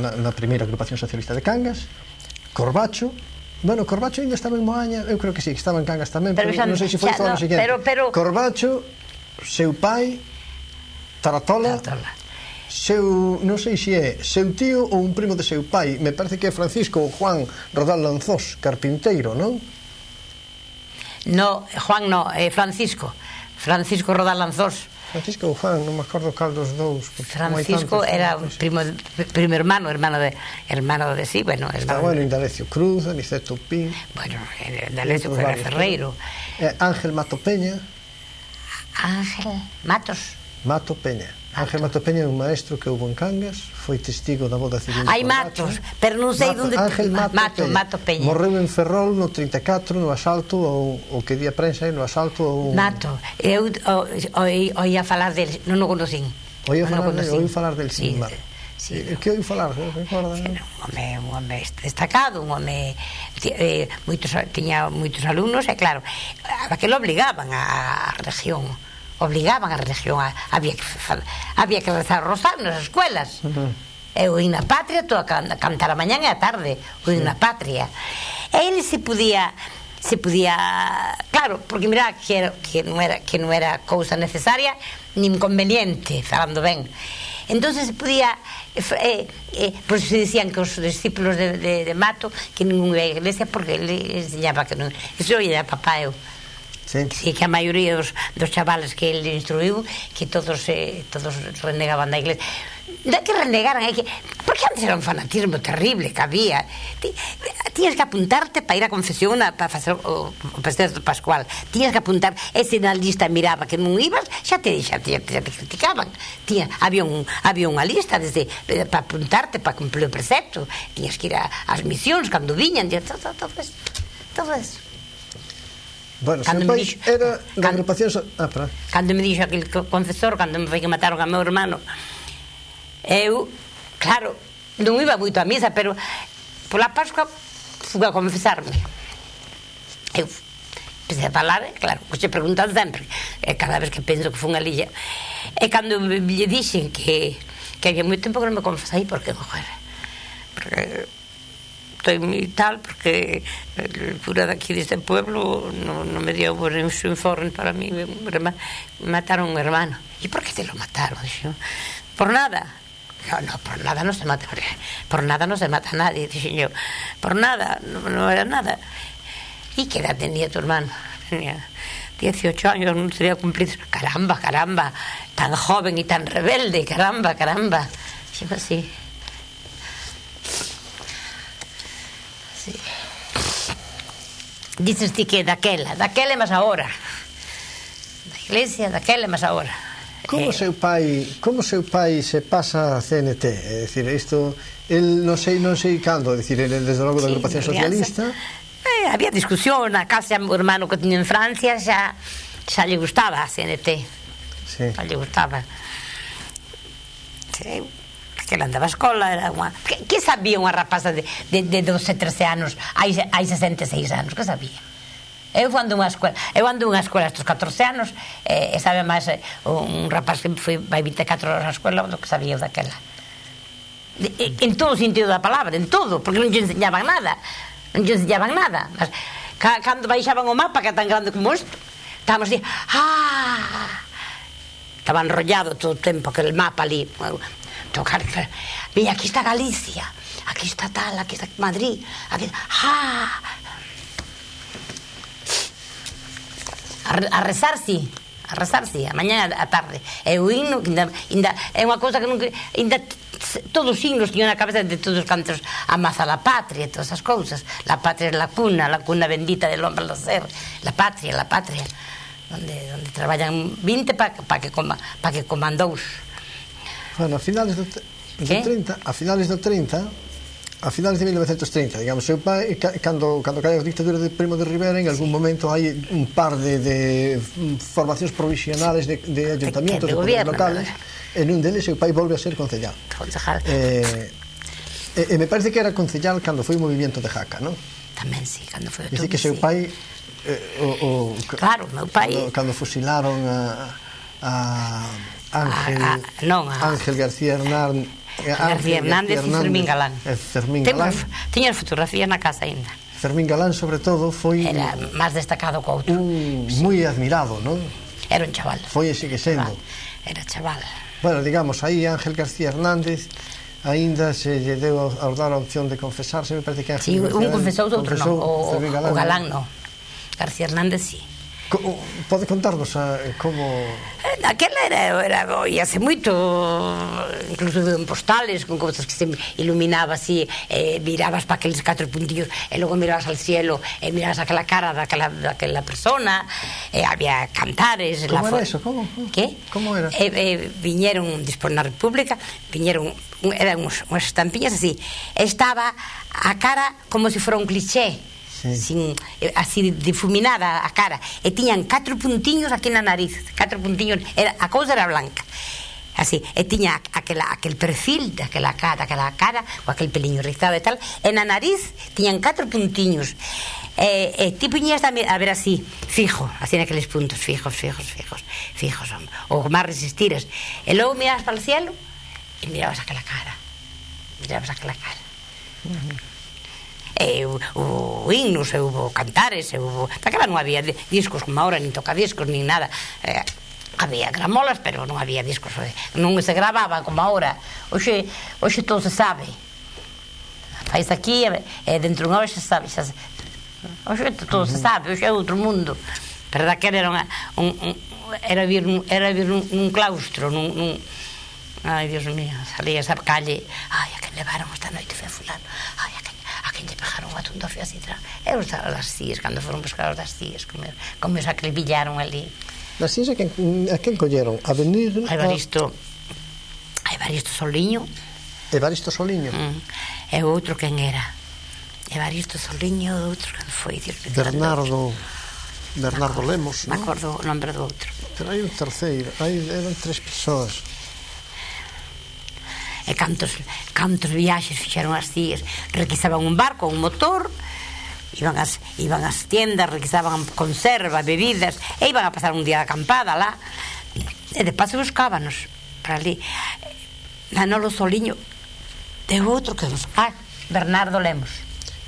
na primeira agrupación socialista de Cangas. Corbacho, bueno, Corbacho ainda estaba en Moaña, eu creo que sí, que estaba en Cangas tamén, pero non sei se foi todo o seguinte. Corbacho, seu pai, Taratola, non sei se é seu tío ou un primo de seu pai, me parece que é Francisco ou Juan Rodal Lanzós, carpinteiro, non? No, Juan no, Francisco Rodal Lanzós. Francisco ou Juan, non me acordo cal dos dous. Francisco era un primo hermano de sí, bueno. Estaba en Indalecio Cruz, Aniceto Pín. Bueno, Indalecio foi Ferreiro. Ángel Mato Peña. Ángel Mato Peña. Ángel Mato Peña é un maestro que houve en Cangas, foi testigo da boda civil. Hai Matos, pero non sei onde... Ángel Mato Peña. Morreu en Ferrol no 34, no asalto, o que di a prensa, no asalto... Mato, eu oía falar del, non o conocín. Oí falar del, sin mal. Que oí falar? Un home destacado, un home... Tiña moitos alumnos, e claro, aquilo obligaban a región. Había que rezar o rosario nas escuelas. Eu na patria, todo a cantar a mañan e a tarde, o na patria. E ele se podía, claro, porque mira que non era cousa necesaria nin conveniente, falando ben. Entonces se podía, por eso se decían que os discípulos de Mato que non iba a iglesia porque ele enseñaba que non, eso oía papá eu. Sí, que a maioría dos chavales que ele instruiu, que todos renegaban da iglesia. Non é que renegaran, é que... Porque antes era un fanatismo terrible que había. Tiñas que apuntarte para ir a confesión, para facer o festejo pascual. Tiñas que apuntar, e se na lista miraba que non ibas, xa te criticaban. Había unha lista para apuntarte, para cumplir o precepto. Tiñas que ir ás misións, cando viñan, todo eso. Bueno, seu pai era da agrupación... Cando me dixo aquel confesor, cando me foi que mataron a meu hermano, eu, claro, non iba moito a misa, pero pola Pascua fui a confesarme. Eu empecé a falar, claro, que se preguntan sempre, cada vez que penso que fui unha lilla. E cando me dixen que había moito tempo que non me confesei, porque, joder, porque... estoy muy tal, porque el cura de aquí de este pueblo no me dio su informe para mí, me mataron a un hermano. ¿Y por qué te lo mataron? Dije, por nada. No, por nada no se mata, por nada no se mata a nadie, dije yo, por nada, no era nada. ¿Y qué edad tenía tu hermano? Tenía 18 años, no tenía cumplido. Caramba, tan joven y tan rebelde, caramba. Digo así. Sí. Dices ti que daquela é máis agora, da iglesia, daquela é máis agora. Como seu pai se pasa a CNT? É dicir, isto, el non sei cando, é dicir, el desde logo da agrupación socialista. Había discusión na casa, o hermano que tiña en Francia xa lle gustaba a CNT. Xa lle gustaba. Sí. Que ela andaba a escola, era unha... Que sabía unha rapaza de 12, 13 anos, hai 66 anos, que sabía? Eu ando unha escola estes 14 anos, e sabe máis un rapaz que vai 24 horas á escola do que sabía daquela. En todo o sentido da palabra, en todo, porque non lle enseñaban nada. Mas, cando baixaban o mapa, que é tan grande como isto, estábamos así, estaba enrollado todo o tempo aquel mapa ali, tocar, mira, aquí está Galicia, aquí está tal, aquí está Madrid, aquí está... A rezar, sí, a mañana a tarde. E o himno, é unha cousa que nunca... Todos os himnos tiñan na cabeza de todos os cantos, amaza la patria, todas as cousas. La patria é la cuna bendita del hombre al nacer. La patria, donde traballan 20 para que coman 2. Bueno, a finales do 30, a finales de 1930, digamos, seu pai, cando cae a dictadura de Primo de Rivera, en algún momento hai un par de formacións provisionales de ayuntamientos, de poderes locales, e nun deles seu pai volve a ser concellal. E me parece que era concellal cando foi o movimento de Jaca, non? Tamén, sí, cando foi o todo. Dice que seu pai... Claro, meu pai... Cando fusilaron a Ángel García Hernán García Hernández e Fermín Galán. Fermín Galán. Tiña fotografías na casa ainda. Fermín Galán, sobre todo, foi... Era máis destacado co outro. Moi admirado, non? Era un chaval. Foi e sigue sendo. Era chaval. Bueno, digamos, aí Ángel García Hernández aínda se lle deu ao dar a opción de confesarse, me parece que Ángel... Sí, un confesou, outro non. O Galán non. García Hernández, sí. Pode contarnos como... Aquela era hace moito, incluso en postales, con cousas que se iluminaba así, mirabas para aqueles 4 puntillos e logo mirabas al cielo e mirabas aquela cara daquela persona, había cantares. Como era eso? Que? Como era? Viñeron, despois na República, eran unhas estampiñas así, estaba a cara como se fora un cliché, así difuminada a cara, e tiñan 4 puntiños aquí na nariz, 4 puntiños, a cousa era blanca así, e tiña aquel perfil daquela cara, con aquel peliño rizado e tal, e na nariz tiñan 4 puntiños, e ti puñías a ver así, fijo, así naqueles puntos, fijos, ou máis resistiras, e logo mirabas para o cielo e mirabas aquela cara. Hubo himnos, hubo cantares, daquela non había discos como ahora, nin tocadiscos, nin nada, había gramolas, pero non había discos, non se grababa como ahora. Hoxe todo se sabe, faz aquí e dentro de unha hora xa sabe, hoxe todo se sabe, hoxe é outro mundo, pero daquela era vir nun claustro, ai, Dios mío, salías a calle, ai, a quen levaron esta noite foi a fulano, ai, a quen lle pegaron a tundofio así atrás. E os das cíes, cando foron buscar os das cíes, como os acribillaron ali. Das cíes a quen colleron? A venir... A Evaristo Soliño. Evaristo Soliño? E o outro quen era? Evaristo Soliño, o outro quen foi? Bernardo Lemos, non? Me acordo o nombre do outro. Pero hai un terceiro, eran 3 persoas. E cantos viaxes fixeron as cíes, requisaban un barco, un motor, iban ás tiendas, requisaban conserva, bebidas, e iban a pasar un día de acampada lá, e de paso buscábanos para ali. Manolo Soliño de outro que nos... Bernardo Lemos.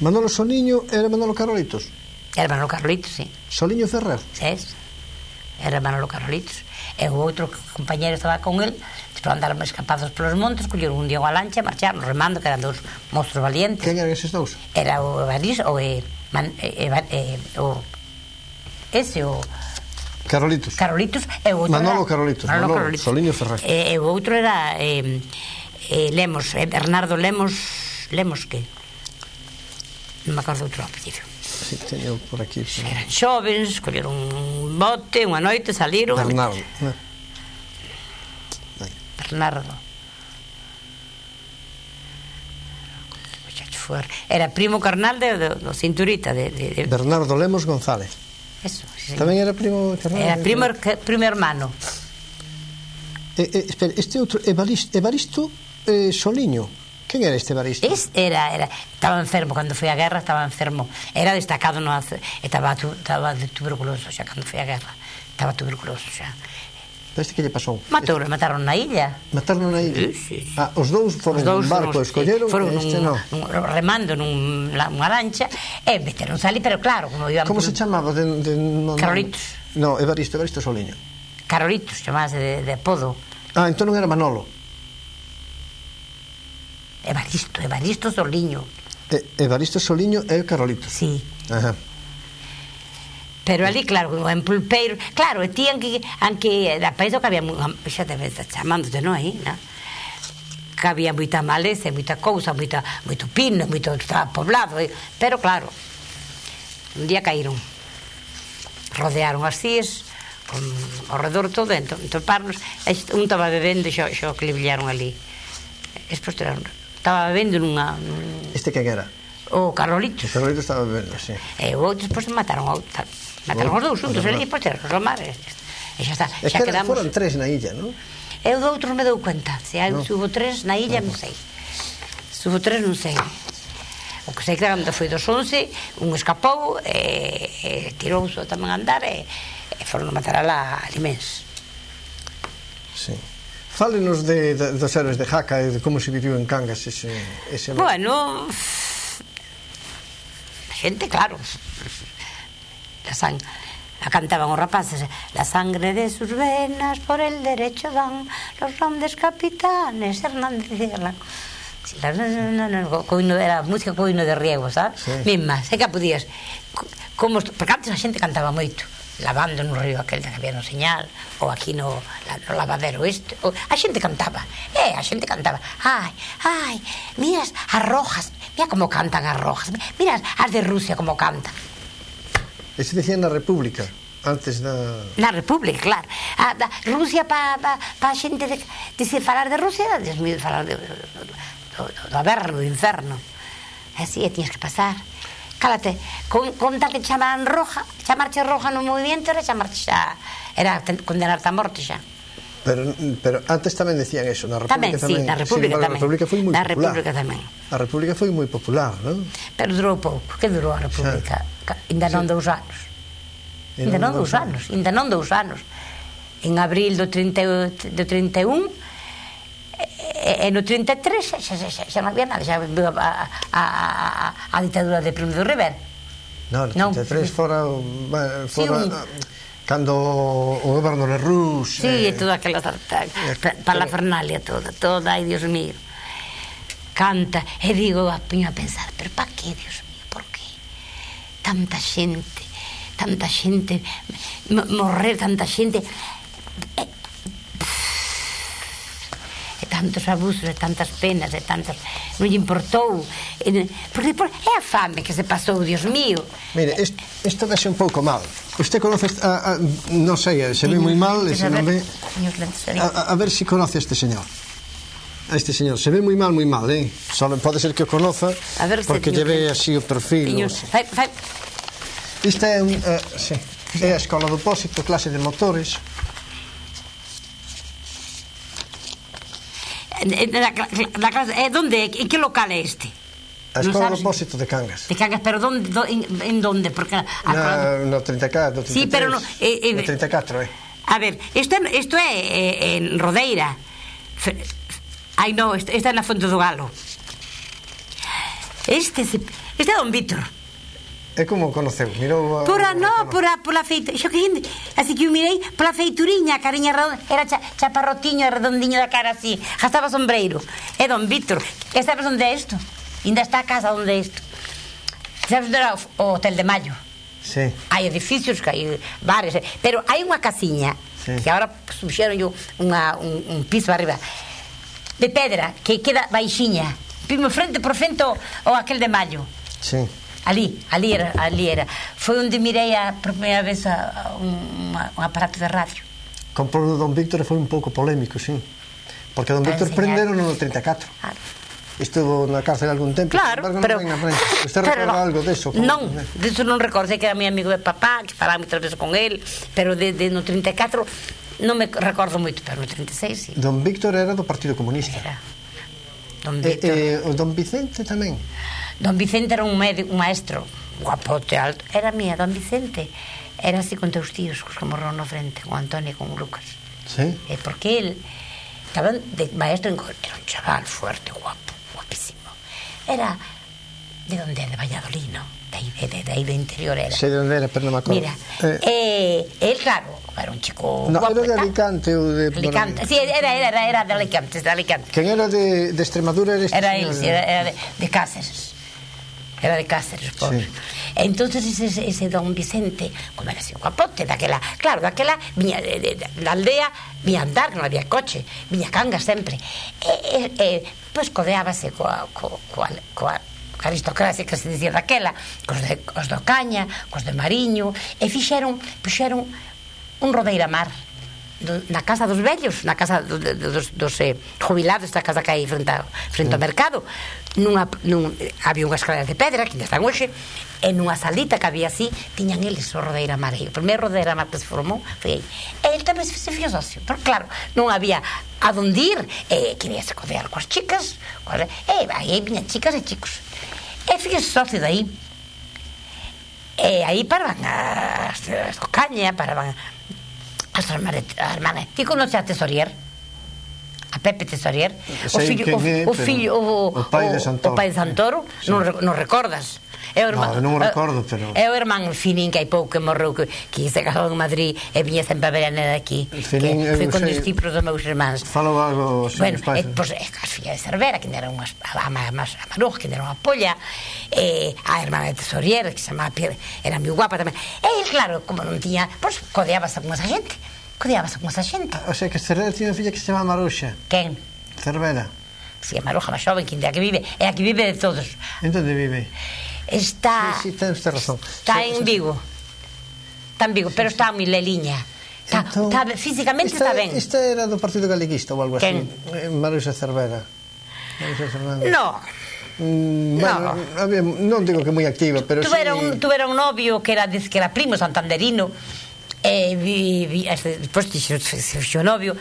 Manolo Soliño era Manolo Carolitos? Era Manolo Carolitos, sí. Soliño Ferrer? Era Manolo Carolitos. E o outro compañero estaba con el, despois andaron escapados polos montes, colleron un día unha lancha e marcharon remando, que eran 2 monstruos valientes. Quen eran eses 2? Era o Evaristo, Carolitos e o outro Manolo Carolitos, Soliño Ferrer. E o outro era Lemos, Bernardo Lemos que non me acordo outro apellido. Sí, teño por aquí. Eran xóvenes, colleron un bote, unha noite, saliron. Bernardo. Era primo carnal do Cinturita de Bernardo Lemos González. Eso, sí. Tamén era primo carnal. Era primo hermano. Espera, este outro Evaristo Soliño. Quen era este Evaristo? Estaba enfermo cando foi a guerra, era destacado estaba tuberculoso xa cando foi a guerra, estaba tuberculoso xa. Este que lle pasou? Mataron na illa. Mataron na illa? Sí. Os dous foron nun barco, escolleron, este non. Remando nunha lancha e meteronse ali, pero claro, como se chamaba? Carolitos. No, Evaristo Soliño. Carolitos, chamase de apodo. Entón non era Manolo. Evaristo Soliño. Evaristo Soliño e Carolitos. Sí. Pero ali, claro, en Pulpeiro, claro, e ti anque da país que había, xa te ves chamándote, non, aí, non? Que había moita maleza, moita cousa, moito pino, moito poblado, pero claro, un día caíron, rodearon as cíes, ao redor todo, entón toparnos, un estaba bebendo e xa que le brillaron ali. Despois estaba bebendo nunha... Este que era? O Carolitos. O Carolitos estaba bebendo, sí. E o outro, despois mataron os dous juntos, e despois terron o mar, e xa está. É que foron 3 na illa, non? E o do outro me dou cuenta, se hubo 3 na illa, non sei. Se hubo 3, non sei. O que sei que cando foi dos 11, un escapou, e tirouse tamén a andar, e foron a matar a la Limens. Sí. Fálenos dos héroes de Jaca e de como se viviu en Cangas ese... Bueno, a xente, claro, la cantaban os rapaces, la sangre de sus venas por el derecho dan los grandes capitanes Hernández y Galán. Era música co hino de riego, sabes? Misma, sei que podías, porque antes a xente cantaba moito, lavando no río aquel que había no Señal, ou aquí no lavadero este, a xente cantaba, ai, miras as rojas, mira como cantan as rojas, mira as de Rusia como cantan. Ese decían na República, antes da... Na República, claro. Rusia, pa xente decir falar de Rusia, desmido falar do averno, do inferno. Así, tiñas que pasar. Cálate, con tal que chamaban roja, chamarche roja no movimiento era chamarche xa, era condenarte a morte xa. Pero antes tamén decían eso, na República tamén. Sí, na República tamén. Na República foi moi popular. Na República tamén. A República foi moi popular, non? Pero durou pouco, que durou a República? Ainda non 2 anos. Ainda non 2 anos. En abril do 31 e no 33 xa non había nada, xa viu a ditadura de Primo de Rivera. Non, no 33 fora cando o goberno de Rus... Sí, toda aquela parafernalia toda, ai, Dios mío. Canta, e digo, poño a pensar, pero pa que, Dios mío, por que? Tanta xente morrer, tanta xente... tantos abusos e tantas penas e tantas... non lle importou, porque é a fame que se pasou, Dios mío. Mire, isto vese un pouco mal. Usted conoce non sei, se ve moi mal, se non ve... A ver se conoce a este señor. Se ve moi mal, só pode ser que o conoza, porque lle ve así o perfil. Isto é a Escola do Pósito, clase de motores. ¿Dónde? ¿En qué local es este? A Escola do Pósito de Cangas. De Cangas, pero en dónde? No 34, 33. Sí, pero no... No 34, A ver, isto é en Rodeira. Ai, no, esta é na Fonte do Galo. Este é Don Víctor. E como conoceu? Mirou pola feita. Así que eu mirei pola feituriña, a cariña redonda, era chaparrotiño, redondiño da cara así, gastaba sombreiro. É Don Víctor. E sabes onde é isto? Ainda está a casa onde é isto. Sabes onde era o Hotel de Mayo? Sí. Hai edificios, hai bares, pero hai unha casiña que agora puxeron un piso arriba de pedra que queda baixiña, frente por frente ao aquel de Mayo. Sí. Ali era. Foi onde mirei por primeira vez un aparato de radio. Comprou Don Víctor e foi un pouco polémico, sí. Porque Don Víctor prenderon no 34. Estuvo na cárcel algún tempo. Claro, pero... Usted recorda algo deso? Non, deso non recordo, que era mi amigo de papá, que falaba moitas veces con él, pero no 34 non me recordo moito, pero no 36 sí. Don Víctor era do Partido Comunista. Era. Don Víctor. O Don Vicente tamén. Don Vicente era un maestro guapote, alto. Era mía, Don Vicente era así con teus tíos, cos que morrón no frente, con Antonio e con Lucas. Sí. Porque él estaba de maestro, era un chaval fuerte, guapísimo. Era de donde, de Valladolid, ¿no? De aí do interior era. Sei de onde era, pero non me acordo. Mira, él, claro, era un chico guapo. Era de Alicante ou de... Alicante, sí, era de Alicante, Quen era de Extremadura era este señor? Era de Cáceres. Era de Cáceres, pobre. Sí. Entonces ese Don Vicente, como era así un guapote, daquela viña da aldea, viña a andar, non había coche, viña a Cangas sempre. Pois codeábase coa aristocracia que se dicía daquela, cos do Caña, cos de Mariño, e puxeron un Rodeira Mar na casa dos vellos, na casa dos jubilados, esta casa que hai frente ao mercado. Había unha escalera de pedra que ainda están hoxe, e nunha salita que había así tiñan eles o Rodeira Mar. O primeiro Rodeira Mar que se formou foi aí. E ele tamén se fixo socio, pero claro, non había a donde ir, quería se codear coas chicas, aí viñan chicas e chicos, e fixo socio de aí. E aí paraban as do Caña, paraban as hermanas. Ti conoces a Tesorier? a Pepe Tesorier, o pai de Santoro, non recordas? Non o recordo, pero... É o irmán Finín, que hai pouco que morreu, que se casou en Madrid e viña sempre a ver a nena aquí, que foi con discípulos dos meus irmáns. Falo algo os seus pais. Pois as fillas de Cervera, que era a Maruja, que era unha polla, a irmán de Tesorier, que se chamaba Pierre, era moi guapa tamén. E claro, como non tiña, pois codeábase con esa xente. O sea, que Cervera tiña unha filla que se chama Maruxa. Quen? Cervera. Si, a Maruja máis xoven, que é a que vive, é a que vive de todos. En onde vive? Está... Sí, tens razón. Está en Vigo. Está en Vigo, pero está moi leliña. Físicamente está ben. Esta era do Partido Galeguista ou algo así? Maruxa Cervera. No. Non digo que moi activa, pero tuvera un novio que era primo santanderino, despois se fixo novio,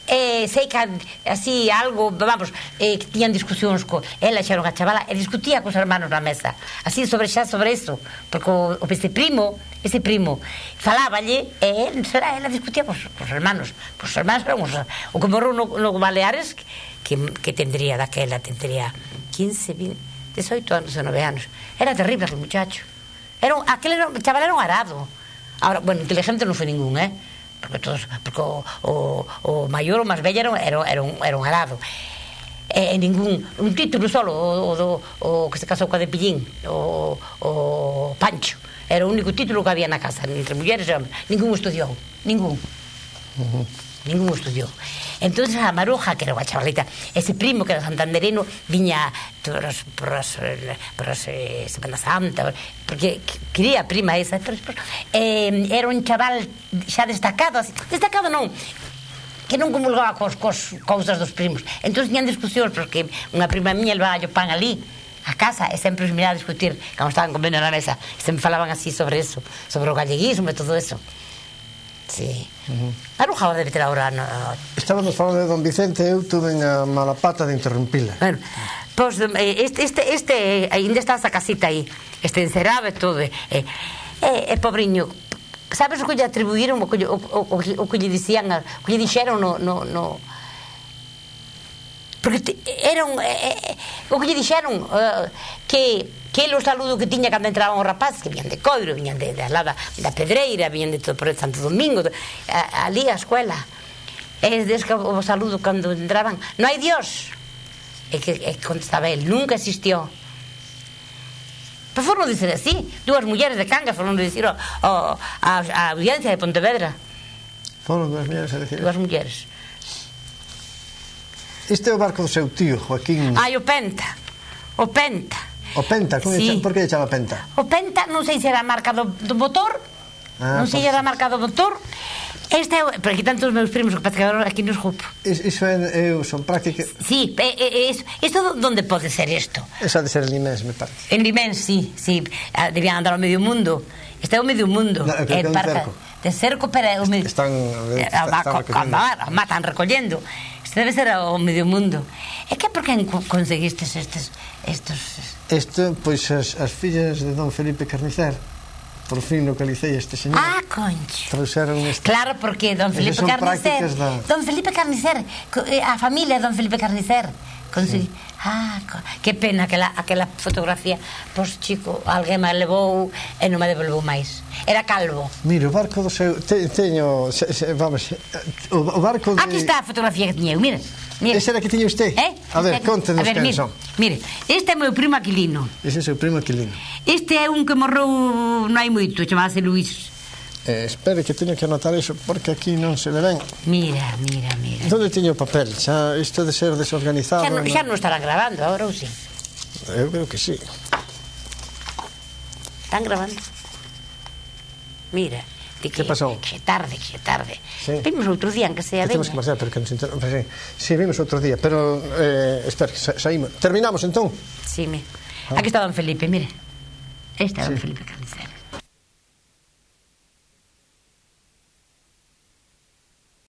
sei que así algo, vamos, que tiñan discusións ela xa era unha chavala e discutía cos hermanos na mesa, así sobre iso, porque ese primo faláballe e ela discutía cos hermanos. Os hermanos eran o que morreu no Baleares, que tendría 15, 20, 18 anos, 19 anos. Era terrible aquel muchacho. Aquel chaval era un arado. Ahora, bueno, inteligente non foi ningún, porque o maior ou máis bella era un arado. Un título solo, o que se casou coa de Pillín, o Pancho. Era o único título que había na casa, entre mulleres e hombres. Ningún estudiou, ningún estudiou. Entón a Maruja, que era unha chavalita, ese primo que era santanderino, viña por as Semana Santa, porque quería a prima esa, era un chaval xa destacado non, que non comulgaba cos cousas dos primos. Entón tiñan discusións, porque unha prima miña levaba o pan ali a casa e sempre os miraba a discutir cando estaban comendo na mesa, e sempre falaban así sobre eso, sobre o galleguismo e todo eso. Sí. Maruja debe ter ahora... Estábamos falando de Don Vicente, eu tuve a mala pata de interrumpila. Bueno, pois este ainda está esa casita aí, este encerado e todo, pobriño. Sabes o que lle atribuíron, o que lle dixeron no... Porque o que lle dixeron que o saludo que tiña cando entraban os rapaces, que viñan de Coiro, viñan da Pedreira, viñan de todo por Santo Domingo, ali a escuela, o saludo cando entraban, non hai Dios, e contestaba el, nunca existió. Pero foron dizer así, dúas mulleres de Cangas foron dizer a audiencia de Pontevedra. Foron dúas mulleres a decir? Dúas mulleres. Este é o barco do seu tío, Joaquín... O Penta. O Penta, por que lle chama Penta? O Penta, non sei se era a marca do motor, non sei se era a marca do motor. Pero aquí tantos meus primos que parece que aquí nos grupo. Iso son prácticas... Sí, isto onde pode ser isto? Esa de ser en Limens, me parece. En Limens, sí, debían andar ao medio mundo. Este é o medio mundo. Creo que é un cerco. De cerco, pero... Están recollendo. Debe ser o medio mundo. E que por que conseguistes estos... Isto, pois, as fillas de Don Felipe Carnicer, por fin localicei este señor. Ah, concho. Trouxeron este... Claro, porque Don Felipe Carnicer... Don Felipe Carnicer, a familia de Don Felipe Carnicer. Que pena aquela fotografía. Pois, chico, alguén me levou e non me devolveu máis. Era calvo. Mira, o barco do seu... Teño... Vamos... O barco de... Aquí está a fotografía que tiñeu, mira. Ese era que tiña usted? A ver, contenos quen son. Mire, este é o meu primo Aquilino. Ese é o seu primo Aquilino. Este é un que morreu non hai moito, chamábase Luís. Espere que teño que anotar iso, porque aquí non se ve ben. Mira. Onde teño o papel? Xa isto de ser desorganizado... Xa non estarán grabando, agora ou sí? Eu creo que sí. Están grabando. Mira. Que pasou? Que tarde. Vimos outro día, que sea de... Temos que marchar, pero que nos interrompe. Sí, vimos outro día, pero... Espera, saímos. Terminamos, entón? Sí, aquí está Don Felipe, mire. Este é Don Felipe Carnicer.